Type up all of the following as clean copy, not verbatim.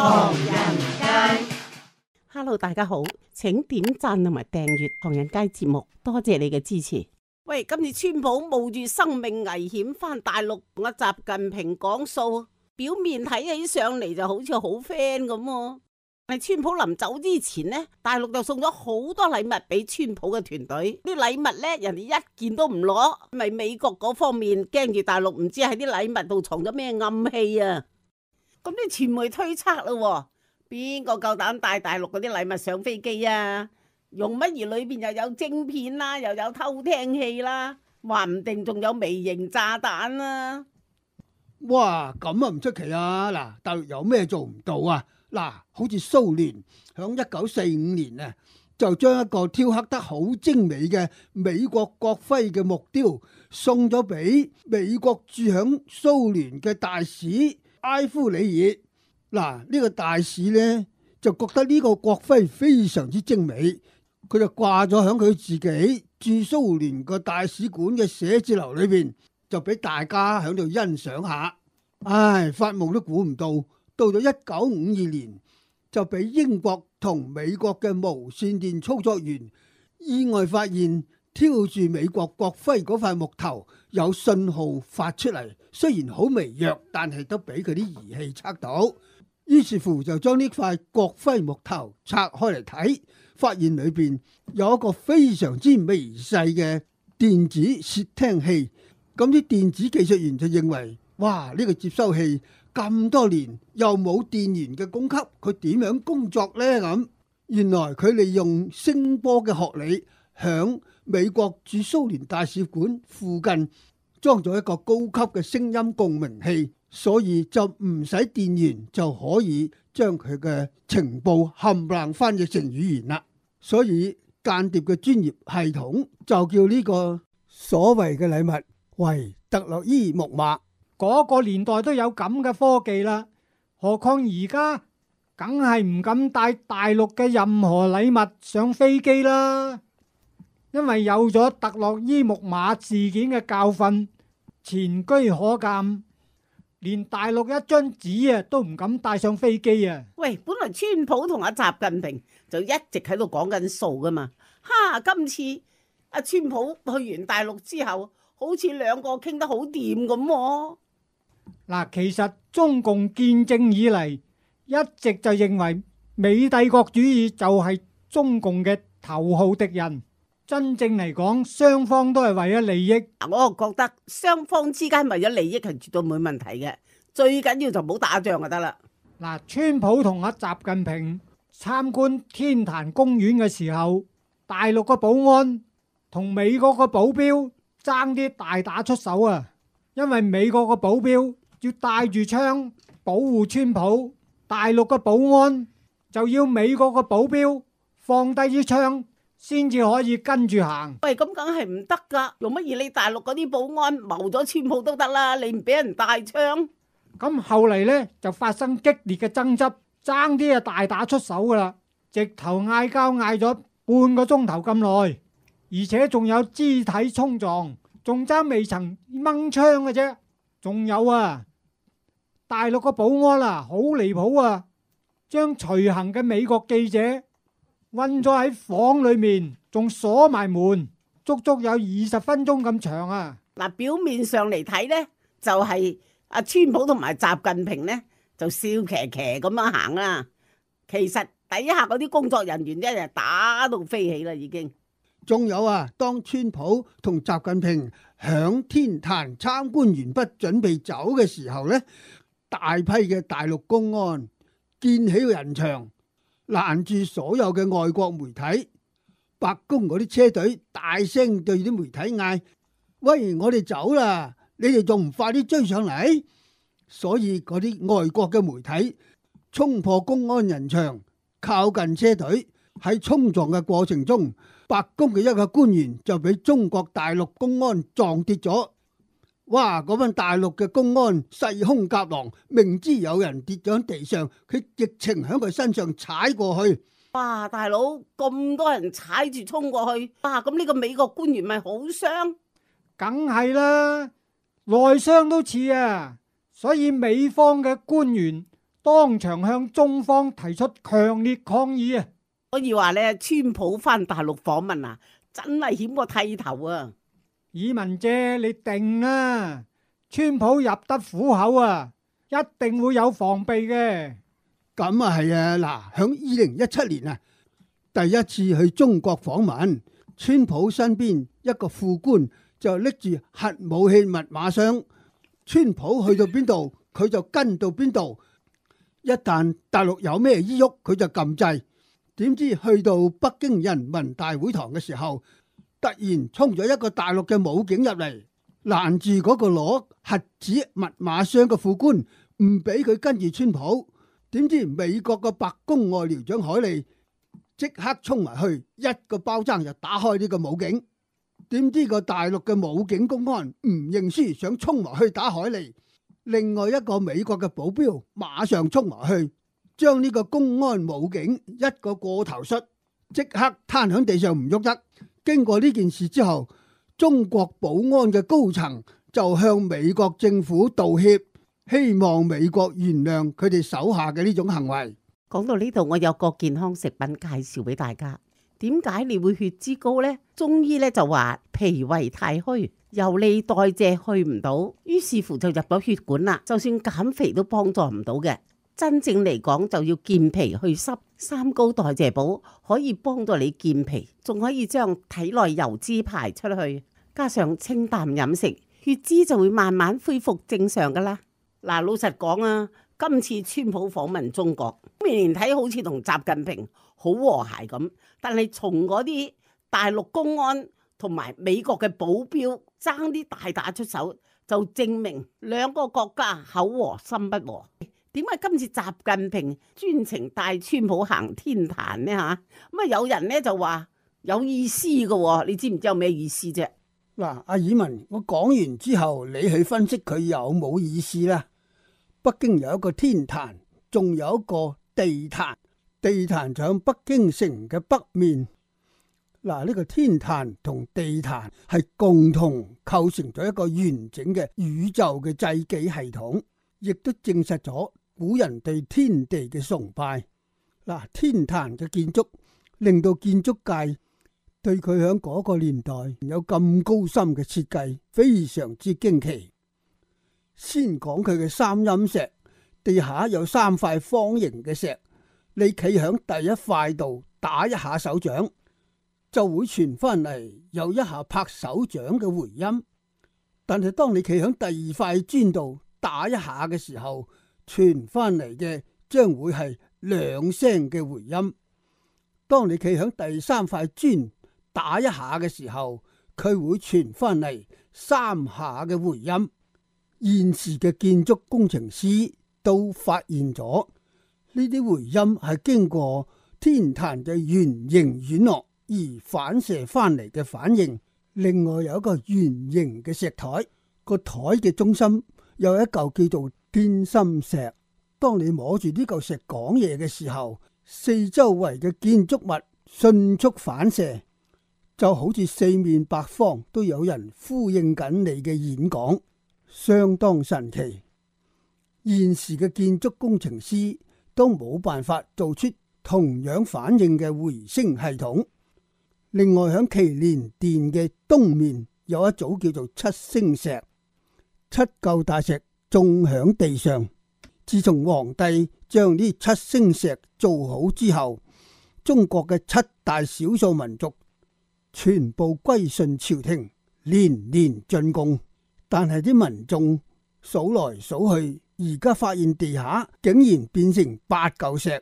唐人街。Hello， 大家好，請點讚同埋訂閱唐人街節目，多謝你嘅支持。喂，今次川普冒住生命危險返大陸同阿習近平講數，表面睇起上嚟就好似好 friend 咁喎。但係川普臨走之前呢，大陸就送咗好多禮物俾川普嘅團隊。啲禮物呢，人哋一件都唔攞，咪美國嗰方面驚住大陸唔知喺啲禮物度藏咗咩暗器啊！咁啲傳媒推測咯，邊個夠膽帶大陸嗰啲禮物上飛機啊？用乜而裏邊又有晶片啦，又有偷聽器啦，話唔定仲有微型炸彈啦！哇，咁啊唔出奇啊！嗱，大陸有咩做唔到啊？嗱，好似蘇聯響1945年啊，就將一個雕刻得好精美嘅美國國徽嘅木雕送咗俾美國駐響蘇聯嘅大使埃夫里爾。嗱，呢個大使呢，就覺得呢個國徽非常之精美，佢就掛咗響佢自己駐蘇聯個大使館嘅寫字樓裏邊，就俾大家響度欣賞下。唉，發夢都估唔到，到咗1952年就俾英國同美國嘅無線電操作員意外發現挑住美國國徽嗰塊木頭有信號發出嚟，雖然好微弱，但係都俾佢啲儀器測到。於是乎就將呢塊國徽木頭拆開嚟睇，發現裏邊有一個非常之微細嘅電子竊聽器。咁啲電子技術員就認為，哇！呢個接收器咁多年又冇電源嘅供給，佢點樣工作呢？咁原來佢利用聲波嘅學理，響美國駐蘇聯大使館附近裝咗一個高級嘅聲音共鳴器，所以就唔使電源就可以將佢嘅情報冚唪唥翻譯成語言啦。所以間諜嘅專業系統就叫呢個所謂嘅禮物為特洛伊木馬。嗰個年代都有咁嘅科技啦，何況而家梗係唔敢帶大陸嘅任何禮物上飛機啦，因為有咗特洛伊木馬事件嘅教訓，前車可鑑，連大陸一張紙啊都唔敢帶上飛機啊！喂，本來川普同阿習近平就一直喺度講緊數噶嘛，哈！今次阿川普去完大陸之後，好似兩個傾得好掂咁喎。嗱，其實中共建政以嚟一直就認為美帝國主義就係中共嘅頭號敵人。真正嚟講，雙方都係為咗利益。我覺得雙方之間為咗利益係絕對冇問題嘅，最緊要就唔好打仗就得啦。嗱，川普同阿習近平參觀天壇公園嘅時候，大陸個保安同美國個保鏢爭啲大打出手啊！因為美國個保鏢要帶住槍保護川普，大陸個保安就要美國個保鏢放低支槍先至可以跟住行。喂，咁梗係唔得噶，用乜嘢你大陸嗰啲保安謀咗川普都得啦，你唔俾人帶槍。咁後嚟呢，就發生激烈嘅爭執，爭啲啊大打出手噶啦，直頭嗌交嗌咗半個鐘頭咁耐，而且仲有肢體衝撞，仲爭未曾掹槍嘅啫。仲有啊，大陸個保安啊好離譜啊，將隨行嘅美國記者困咗喺房裏面，仲鎖埋門，足足有20分鐘咁長啊！嗱，表面上嚟睇呢，就係阿川普同埋習近平呢，就笑騎騎咁樣行啦。其實底下嗰啲工作人員一日打到飛起啦，已經。仲有啊，當川普同習近平響天壇參觀完畢準備走嘅時候呢，大批嘅大陸公安建起個人牆，攔住所有嘅外國媒體。白宮嗰啲車隊大聲對啲媒體嗌：喂，我哋走啦，你哋仲唔快啲追上嚟？所以嗰啲外國嘅媒體衝破公安人牆，靠近車隊。喺衝撞嘅過程中，白宮嘅一個官員就俾中國大陸公安撞跌咗。哇！嗰班大陸嘅公安勢兇夾狼，明知有人跌咗喺地上，佢直情喺佢身上踩過去。哇！大佬，咁多人踩住衝過去，哇！咁呢個美國官員咪好傷？梗係啦，內傷都似啊。所以美方嘅官員當場向中方提出強烈抗議啊！可以話咧，川普返大陸訪問啊，真係險過剃頭啊！以文姐，你定啊！川普入得虎口啊，一定會有防備嘅。咁啊係啊，嗱，響2017年啊，第一次去中國訪問，川普身邊一個副官就拎住核武器密碼箱，川普去到邊度，佢就跟到邊度。一旦大陸有咩依喐，佢就撳掣。點知去到北京人民大會堂嘅時候，突然衝咗一個大陸嘅武警入嚟，攔住嗰個攞核子密碼箱嘅副官，唔俾佢跟住川普。點知美國嘅白宮外僚長海利即刻衝埋去，一個包踭就打開呢個武警。點知個大陸嘅武警公安唔認輸，想衝埋去打海利。另外一個美國嘅保鏢馬上衝埋去，將呢個公安武警一個過頭摔，即刻攤喺地上唔喐得。經過呢件事之後，中國保安嘅高層就向美國政府道歉，希望美國原諒佢哋手下嘅呢種行為。講到呢度，我有個健康食品介紹俾大家。點解你會血脂高呢？中醫咧就話脾胃太虛，由你代謝去唔到，於是乎就入咗血管啦。就算減肥都幫助唔到嘅。真正嚟講就要健脾去濕，三高代謝寶可以幫到你健脾，仲可以將體內油脂排出去。加上清淡飲食，血脂就會慢慢恢復正常噶啦。嗱，老實講啊，今次川普訪問中國，明年睇好似同習近平好和諧咁，但係從嗰啲大陸公安同埋美國嘅保鏢爭啲大打出手，就證明兩個國家口和心不和。點解今次習近平專程帶川普行天壇呢？吓咁啊，有人呢就話有意思嘅，你知唔知有咩意思啫？嗱，阿爾文，我講完之後，你去分析佢有冇意思啦。北京有一個天壇，仲有一個地壇。地壇就喺北京城嘅北面。嗱，呢個天壇同地壇係共同構成咗一個完整嘅宇宙嘅祭祀系統，亦都證實咗古人對天地嘅崇拜。嗱，天壇嘅建築令到建築界對佢喺嗰個年代有咁高深嘅設計，非常之驚奇。先講佢嘅三陰石，地下有三塊方形嘅石，你企喺第一塊度打一下手掌，就會傳翻嚟有一下拍手掌嘅回音。但係當你企喺第二塊磚度打一下嘅時候，傳翻嚟嘅將會係兩聲嘅回音。當你企喺第三塊磚打一下嘅時候，佢會傳翻嚟三下嘅回音。現時嘅建築工程師都發現咗呢啲回音係經過天壇嘅圓形軟落而反射翻嚟嘅反應。另外有一個圓形嘅石台，個台嘅中心有一嚿叫做天心石。當你摸住呢嚿石講嘢嘅時候，四周圍嘅建築物迅速反射，就好似四面八方都有人呼應緊你嘅演講，相當神奇。現時嘅建築工程師都冇辦法做出同樣反應嘅回聲系統。另外響祈年殿嘅東面有一組叫做七星石，七嚿大石種響地上。自從皇帝將呢七星石做好之後，中國嘅七大少數民族全部歸順朝廷，年年進貢。但係啲民眾數來數去，而家發現地下竟然變成八嚿石。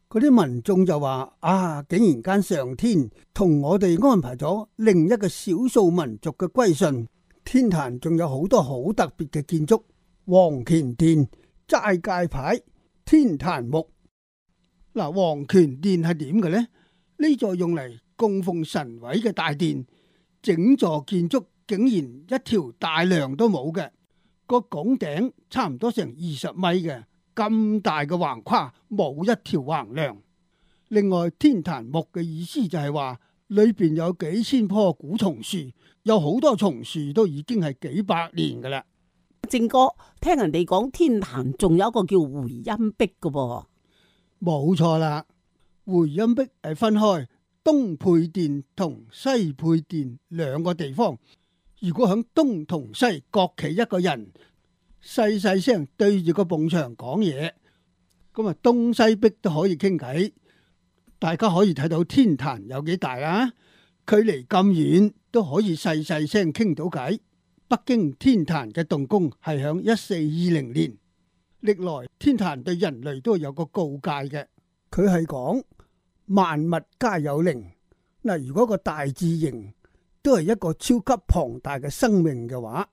嗰啲民眾就話：啊，竟然間上天同我哋安排咗另一個少數民族嘅歸順。天壇仲有好多好特別嘅建築，黃乾殿、齋戒牌、天壇木。嗱，黃乾殿係點嘅呢？呢座用嚟供奉神位嘅大殿，整座建築竟然一條大梁都冇嘅，個拱頂差唔多成20米嘅，咁大嘅橫跨冇一條橫梁。另外，天壇木嘅意思就係話裏邊有幾千棵古松樹，有好多松樹都已經係幾百年噶啦。正哥，聽人哋講天壇仲有一個叫回音壁嘅噃。冇錯啦，回音壁係分開東配殿同西配殿兩個地方。如果響東同西各企一個人，細細聲對住個埲牆講嘢，咁啊東西壁都可以傾偈。大家可以睇到天壇有幾大啦，距離咁遠都可以細細聲傾到偈。北京天壇嘅動工係響1420年，歷來天壇對人類都有個告誡嘅，佢係講萬物皆有靈。嗱，如果個大自然都係一個超級龐大嘅生命嘅話，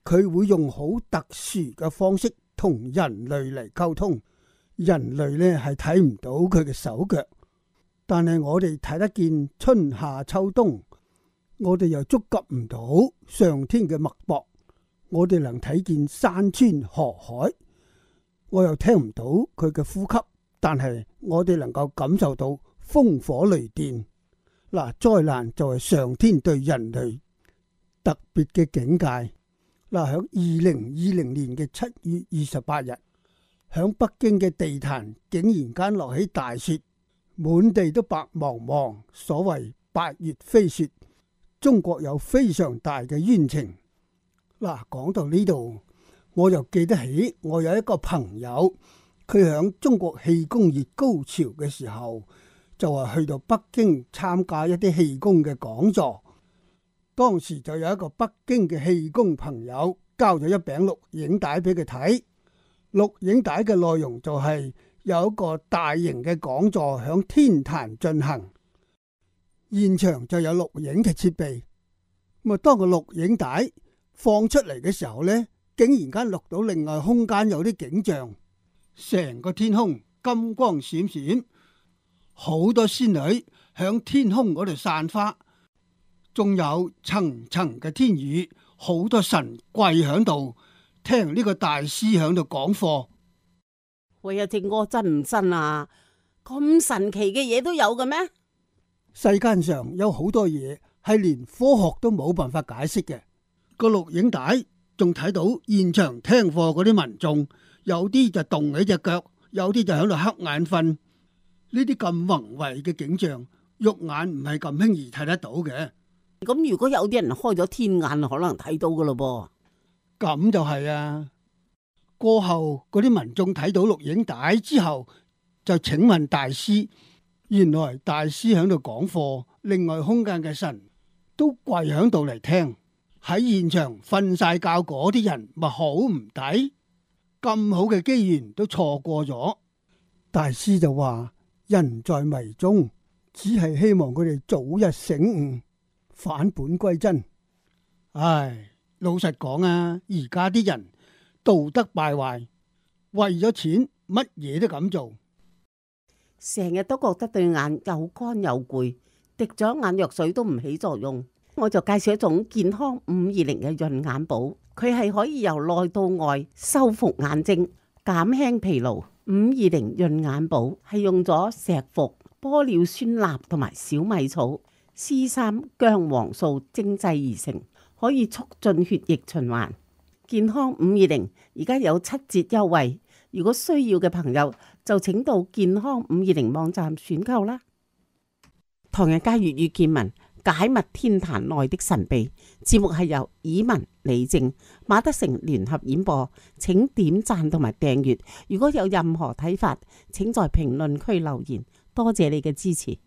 佢會用好特殊嘅方式同人類嚟溝通。人類呢係睇唔到佢嘅手腳，但係我哋睇得見春夏秋冬。我哋又觸及唔到上天嘅脈搏，我哋能睇見山川河海，我又聽唔到佢嘅呼吸，但係我哋能夠感受到風火雷電。嗱，災難就係上天對人類特別嘅警戒。嗱，響2020年嘅7月28日，響北京嘅地壇竟然間落起大雪，滿地都白茫茫，所謂8月飛雪。中國有非常大嘅冤情。嗱，講到呢度，我又記得起我有一個朋友，佢響中國氣功熱高潮嘅時候，就係去到北京參加一啲氣功嘅講座。當時就有一個北京嘅氣功朋友交咗一餅錄影帶俾佢睇，錄影帶嘅內容就係有一個大型嘅講座響天壇進行。現場就有錄影嘅設備，咁啊，當個錄影帶放出嚟嘅時候呢，竟然間錄到另外空間有啲景象，成個天空金光閃閃，好多仙女響天空嗰度散花，仲有層層嘅天宇，好多神跪響度聽呢個大師響度講課。喂啊，正哥，真唔真啊？咁神奇嘅嘢都有嘅咩？世間上有好多嘢係連科學都冇辦法解釋嘅。個錄影帶仲睇到現場聽課嗰啲民眾，有啲就動起隻腳，有啲就喺度瞌眼瞓。呢啲咁宏偉嘅景象，肉眼唔係咁輕易睇得到嘅。咁如果有啲人開咗天眼，可能睇到噶咯噃。咁就係啊。過後嗰啲民眾睇到錄影帶之後，就請問大師。原來大師喺度講課，另外空間嘅神都跪喺度嚟聽。喺現場瞓晒覺嗰啲人咪好唔抵，咁好嘅機緣都錯過咗。大師就話：人在迷中，只係希望佢哋早日醒悟，返本歸真。唉，老實講啊，而家啲人道德敗壞，為咗錢乜嘢都敢做。成日都覺得對眼又乾又攰，滴咗眼藥水都唔起作用。我就介紹一種健康520嘅潤眼寶，佢係可以由內到外修復眼睛、減輕疲勞。520潤眼寶係用咗石斛、玻尿酸鈉同埋小米草、C3薑黃素精製而成，可以促進血液循環。健康520而家有7折優惠。如果需要嘅朋友就請到健康520網站選購啦。唐人街粵語見聞解密天壇內的神秘，節目係由以文、李正、馬德成聯合演播，請點讚同埋訂閱。如果有任何睇法，請在評論區留言。多謝你嘅支持。